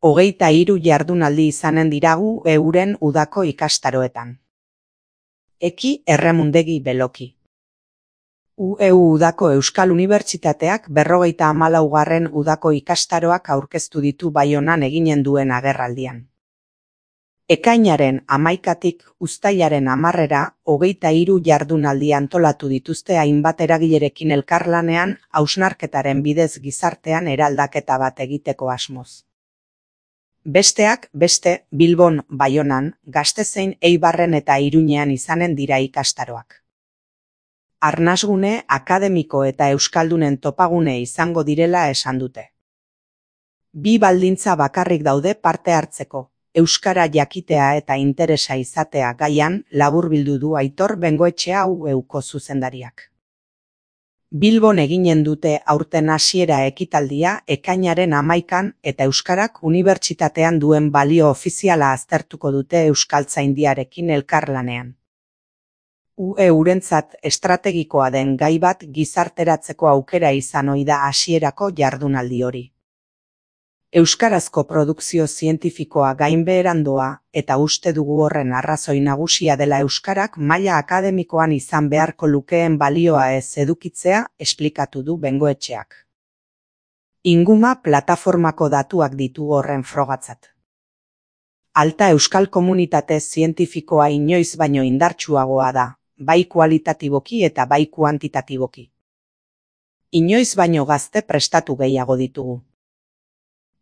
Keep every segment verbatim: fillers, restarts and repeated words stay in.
Hogeita hiru jardunaldi izanen diragu euren udako ikastaroetan. Eki Erremundegi Beloki. U E U udako Euskal Unibertsitateak berrogeita hamalaugarren udako ikastaroak aurkeztu ditu Baionan eginen duen agerraldian. Ekainaren hamaikatik uztailaren hamarrera hogeita hiru jardunaldi antolatu dituzte hainbat eragilerekin elkarlanean hausnarketaren bidez gizartean eraldaketa bat egiteko asmoz. Besteak beste Bilbon, Baionan, Gastezein, Eibarren eta Iruñean izanen dira ikastaroak. Arnasgune, akademiko eta euskaldunen topagune izango direla esan dute. Bi baldintza bakarrik daude parte hartzeko. Euskara jakitea eta interesa izatea gaian laburbildu du Aitor Bengoetxea U E Uko zuzendariak. Bilbon eginen dute aurten hasiera ekitaldia ekainaren hamaikan eta euskarak unibertsitatean duen balio ofiziala aztertuko dute euskaltzaindiarekin elkarlanean. U E Urentzat estrategikoa den gai bat gizarteratzeko aukera izan ohi da hasierako jardunaldi hori. Euskarazko produkzio zientifikoa gainbeheran doa eta uste dugu horren arrazoi nagusia dela euskarak maila akademikoan izan beharko lukeen balioa ez edukitzea esplikatu du Bengoetxeak. Inguma plataformako datuak ditu horren frogatzat. Alta euskal komunitate zientifikoa inoiz baino indartsuagoa da, bai kualitatiboki eta bai kuantitatiboki. Inoiz baino gazte prestatu gehiago ditugu.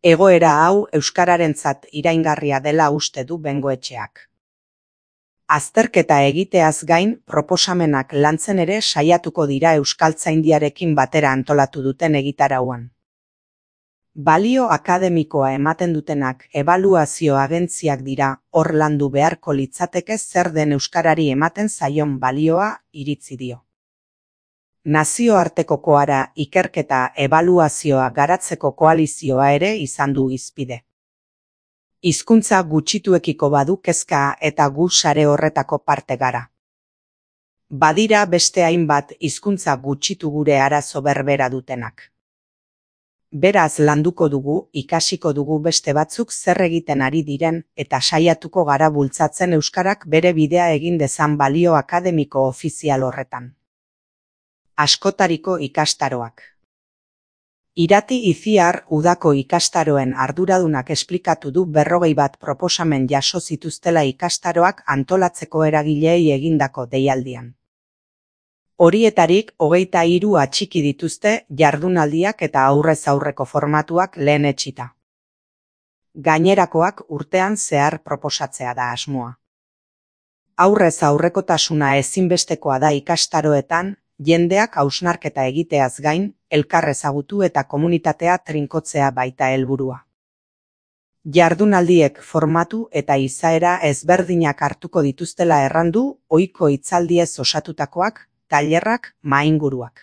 Egoera hau euskararentzat iraingarria dela uste du Bengoetxeak. Azterketa egiteaz gain, proposamenak lantzen ere saiatuko dira euskaltzaindiarekin batera antolatu duten egitarauan. Balio akademikoa ematen dutenak ebaluazio agentziak dira, hor landu beharko litzateke zer den euskarari ematen zaion balioa iritzi dio. Nazioartekokoara ikerketa ebaluazioa garatzeko koalizioa ere izan du hizpide. Hizkuntza gutxituekiko badu kezka eta gu sare horretako parte gara. Badira beste hainbat hizkuntza gutxitu gure arazo berbera dutenak. Beraz landuko dugu, ikasiko dugu beste batzuk zer egiten ari diren eta saiatuko gara bultzatzen euskarak bere bidea egin dezan balio akademiko ofizial horretan. Askotariko ikastaroak. Irati Iziar udako ikastaroen arduradunak esplikatu du berrogei bat proposamen jaso zituztela ikastaroak antolatzeko eragileei egindako deialdian. Horietarik hogeita hiru atxiki dituzte jardunaldiak eta aurrez aurreko formatuak lehen etsita. Gainerakoak urtean zehar proposatzea da asmoa. Aurrez aurrekotasuna ezinbestekoa da ikastaroetan, jendeak hausnarketa egiteaz gain, elkar ezagutu eta komunitatea trinkotzea baita helburua. Jardunaldiek formatu eta izaera ezberdinak hartuko dituztela errandu, ohiko hitzaldiez osatutakoak, tailerrak, mahainguruak.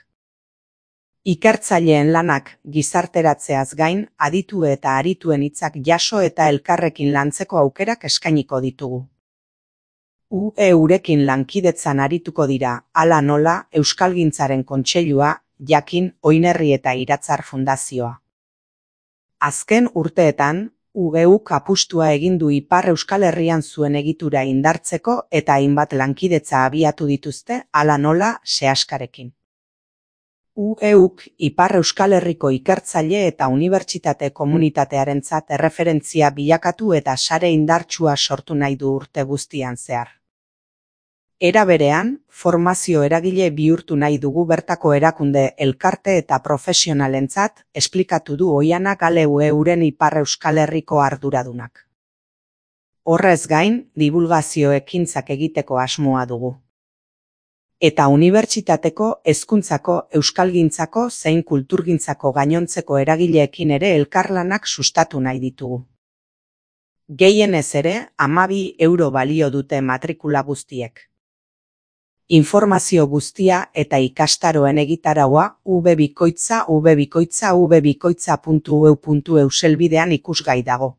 Ikertzaileen lanak gizarteratzeaz gain, aditu eta arituen hitzak jaso eta elkarrekin lantzeko aukerak eskainiko ditugu. U E Urekin lankidetzan arituko dira, hala nola, Euskalgintzaren Kontseilua, Jakin, Oinerri eta Iratzar Fundazioa. Azken urteetan, U E Uk apustua egin du Ipar Euskal Herrian zuen egitura indartzeko eta hainbat lankidetza abiatu dituzte, hala nola, Seaskarekin. U E Uk Ipar Euskal Herriko ikertzaile eta unibertsitate komunitatearentzat erreferentzia bilakatu eta sare indartsua sortu nahi du urte guztian zehar. Era berean, formazio eragile bihurtu nahi dugu bertako erakunde elkarte eta profesionalentzat, esplikatu du Oiana Gale U E Uren Ipar Euskal Herriko arduradunak. Horrez gain, dibulgazio ekintzak egiteko asmoa dugu. Eta unibertsitateko, hezkuntzako, euskalgintzako zein kulturgintzako gainontzeko eragileekin ere elkarlanak sustatu nahi ditugu. Gehienez ere, hamabi euro balio dute matrikula guztiek. Informazio guztia eta ikastaroen egitaraua ubebikoitza ubebikoitza ubebikoitza puntu eu puntu eu selbidean ikusgai dago.